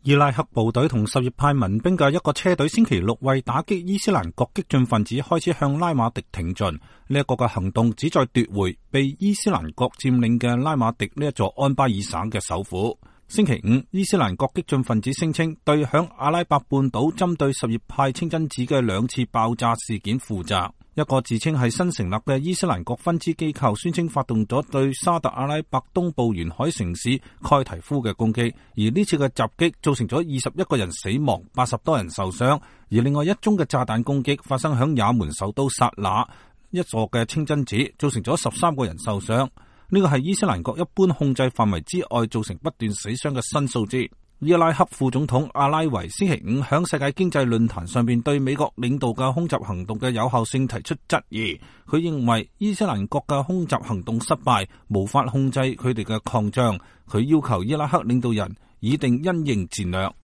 伊拉克部隊同什葉派民兵嘅一個車隊星期六為打擊伊斯蘭國激進分子開始向拉馬迪挺進。呢一個嘅行動旨在奪回被伊斯蘭國佔領嘅拉馬迪呢一座安巴爾省嘅首府。星期五，伊斯蘭國激進分子聲稱對響阿拉伯半島針對什葉派清真寺嘅2次爆炸事件負責。一個自稱係新成立嘅伊斯蘭國分支機構宣稱發動咗對沙特阿拉伯東部沿海城市蓋提夫嘅攻擊，而呢次嘅襲擊造成咗21個人死亡，80多人受傷，而另外一宗嘅炸彈攻擊發生響也門首都薩那一座嘅清真寺，造成咗13個人受傷。呢個係伊斯蘭國一般控制範圍之外造成不斷死傷嘅新數字。伊拉克副總統阿拉維星期五響世界經濟論壇上邊對美國領導嘅空襲行動嘅有效性提出質疑。佢認為伊斯蘭國嘅空襲行動失敗，無法控制佢哋嘅擴張。佢要求伊拉克領導人擬定因應戰略。